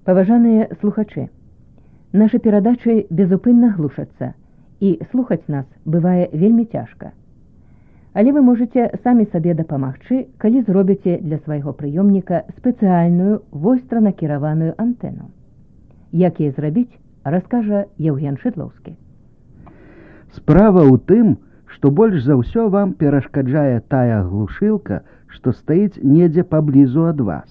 Паважаныя слухачы, нашы перадачы безупынна глушацца, і слухаць нас бывае вельмі цяжка. Але вы можаце самі сабе дапамагчы, калі зробіце для свайго прыёмніка спецыяльную востранакіраваную антэну. Як яе зрабіць, раскажа Яўген Шыдлоўскі. Справа ў тым, што больш за ўсё вам перашкаджае тая глушылка, што стаіць недзе паблізу ад вас.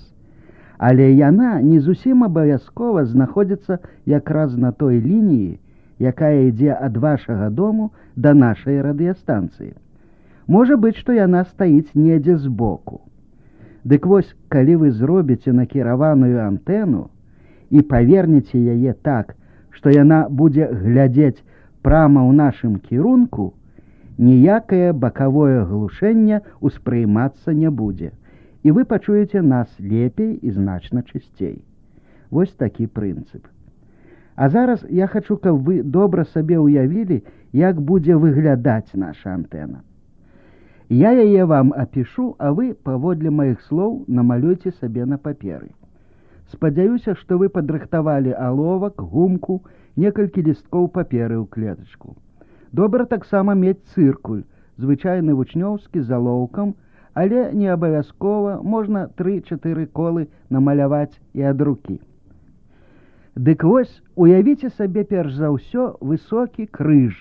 Але яна не зусім абавязкова знаходзіцца якраз на той лініі, якая ідзе ад вашага дому да нашай радыёстанцыі. Можа быць, што яна стаіць недзе збоку. Дык вось, калі вы зробіце накіраваную антэну і павернеце яе так, што яна будзе глядзець прама ў нашым кірунку, ніякае бакавое глушэнне ўспрымацца не будзе, і вы пачуеце нас лепей і значна чысцей. Вось такі прынцып. А зараз я хачу, каб вы добра сабе ўявілі, як будзе выглядаць наша антэна. Я яе вам апішу, а вы, паводле маіх слоў, намалюйце сабе на паперы. Спадзяюся, што вы падрыхтавалі аловак, гумку, некалькі лісткоў паперы ў клетачку. Добра таксама мець цыркуль, звычайны вучнёўскі з алоўкам, але не абавязкова, можна 3-4 колы намаляваць і ад рукі. Дык вось, уявіце сабе перш за ўсё высокі крыж,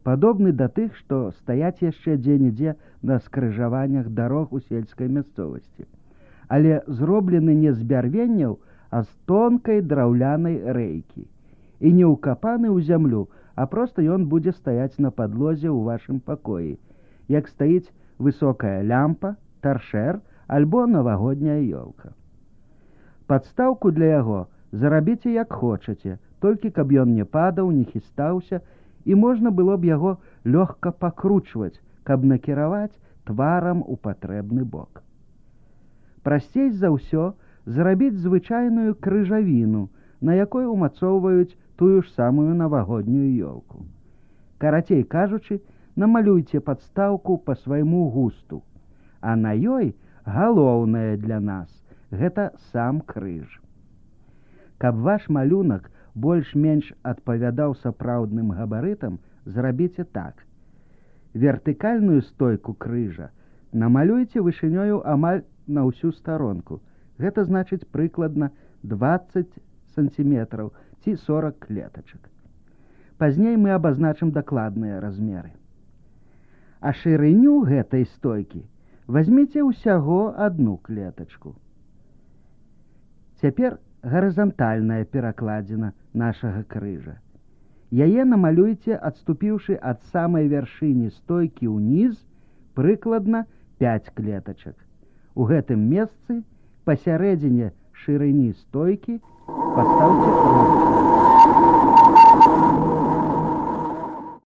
падобны да тых, што стаяць яшчэ дзе-нідзе на скрыжаваннях дарог у сельскай мясцовасці, але зроблены не з бярвенняў, а з тонкай драўлянай рэйкі, і не ўкапаны ў зямлю, а проста ён будзе стаяць на падлозе ў вашым пакоі, як стаіць высокая лямпа, таршэр альбо навагодняя ёлка. Падстаўку для яго зарабіце як хочаце, толькі каб ён не падаў, не хістаўся, і можна было б яго лёгка пакручваць, каб накіраваць тварам у патрэбны бок. Прасцей за ўсё зрабіць звычайную крыжавіну, на якой умацоўваюць тую ж самую навагоднюю ёлку. Карацей кажучы, намалюйце падстаўку па свайму густу, а на ёй галоўнае для нас – гэта сам крыж. Каб ваш малюнак больш-менш адпавядаў сапраўдным габарытам, зрабіце так. Вертыкальную стойку крыжа намалюйце вышынёю амаль на ўсю старонку. Гэта значыць прыкладна 20 сантиметраў ці 40 клетачак. Пазней мы абазначым дакладныя размеры. А шырыню гэтай стойкі вазьміце ўсяго одну клетачку. Цяпер гарызантальная перакладзіна нашага крыжа. Яе намалюйце, адступіўшы ад самай вяршыні стойкі ўніз, прыкладна 5 клетачак. У гэтым месцы пасярэдзіне шырыні стойкі пастаўце